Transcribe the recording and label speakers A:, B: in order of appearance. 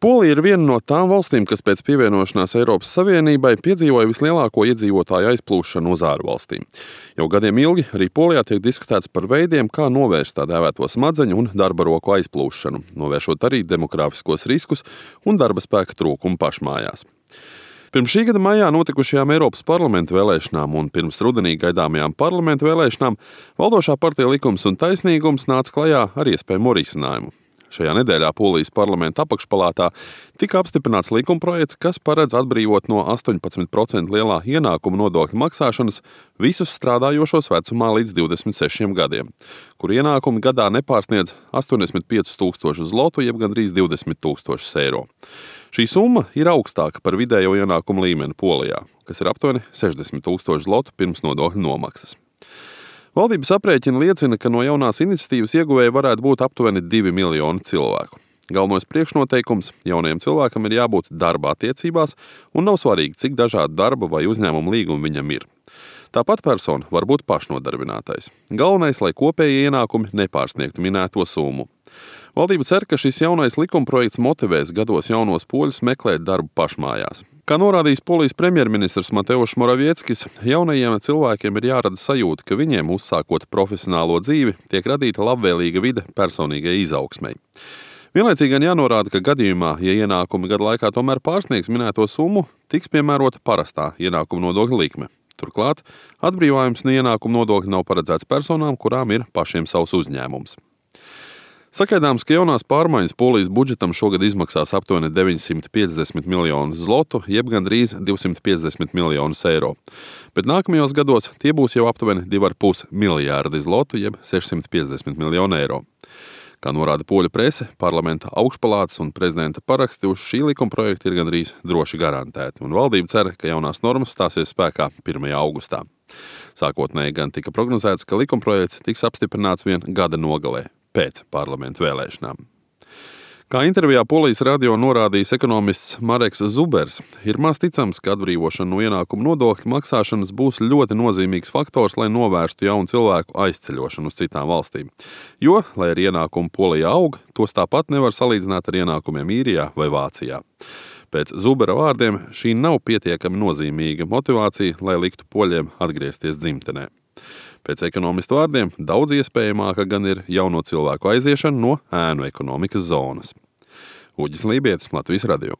A: Polija ir viena no tām valstīm, kas pēc pievienošanās Eiropas Savienībai piedzīvoja vislielāko iedzīvotāju aizplūšanu uz ārvalstīm. Jau gadiem ilgi arī Polijā tiek diskutēts par veidiem, kā novērst tā dēvēto smadzeņu un darba roku aizplūšanu, novēršot arī demogrāfiskos riskus un darba spēka trūkumu pašmājās. Pirms šī gada maijā notikušajām Eiropas parlamenta vēlēšanām un pirms rudenī gaidāmajām parlamenta vēlēšanām valdošā partija Likums un taisnīgums nāca klajā ar iespējamu risinājumu. Šajā nedēļā Polijas parlamenta apakšpalātā tika apstiprināts likumprojekts, kas paredz atbrīvot no 18% lielā ienākuma nodokļa maksāšanas visus strādājošos vecumā līdz 26 gadiem, kur ienākumi gadā nepārsniedz 85,000 zlotu, jeb gandrīz 20,000 eiro. Šī summa ir augstāka par vidējo ienākumu līmeni Polijā, kas ir aptuveni 60,000 zlotu pirms nodokļu nomaksas. Valdības aprēķini liecina, ka no jaunās iniciatīvas ieguvēji varētu būt aptuveni 2 miljoni cilvēku. Galvenais priekšnoteikums jaunajam cilvēkam ir jābūt darba attiecībās, un nav svarīgi, cik dažādi darba vai uzņēmuma līgumi viņam ir. Tāpat persona var būt pašnodarbinātais. Galvenais, lai kopējie ienākumi nepārsniegtu minēto summu. Valdība cer, ka šis jaunais likumprojekts motivēs gados jaunos poļus meklēt darbu pašmājās. Kā norādījis Polijas premjerministrs Mateušs Moravieckis, jaunajiem cilvēkiem ir jārada sajūta, ka viņiem, uzsākot profesionālo dzīvi, tiek radīta labvēlīga vide personīgai izaugsmei. Vienlaicīgi gan jānorāda, ka gadījumā, ja ienākumi gadu laikā tomēr pārsniegs minēto summu, tiks piemērota parastā ienākuma nodokļa likme. Turklāt, atbrīvojums no ienākuma nodokļa nav paredzēts personām, kurām ir pašiem savs uzņēmums. Sagaidāms, ka jaunās pārmaiņas Polijas budžetam šogad izmaksās aptuveni 950 miljonus zlotu, jeb gandrīz 250 miljonus eiro. Bet nākamajos gados tie būs jau aptuveni 2,5 miljārdi zlotu, jeb 650 miljonu eiro. Kā norāda poļu prese, parlamenta augšpalātas un prezidenta paraksti uz šī likumprojekta ir gandrīz droši garantēti, un valdība cer, ka jaunās normas stāsies spēkā 1. augustā. Sākotnēji gan tika prognozēts, ka likumprojekts tiks apstiprināts vien gada nogalē, pēc parlamenta vēlēšanām. Kā intervijā Polijas radio norādījis ekonomists Mareks Zubers, ir maz ticams, ka atbrīvošana no ienākuma nodokļa maksāšanas būs ļoti nozīmīgs faktors, lai novērstu jaunu cilvēku aizceļošanu uz citām valstīm. Jo, lai ar ienākumu Polijā aug, tos tāpat nevar salīdzināt ar ienākumiem Īrijā vai Vācijā. Pēc Zubera vārdiem šī nav pietiekami nozīmīga motivācija, lai liktu poļiem atgriezties dzimtenē. Pēc ekonomista vārdiem daudz iespējamāka gan ir jauno cilvēku aiziešana no ēnu ekonomikas zonas. Uģis Lībietis, Latvijas radio.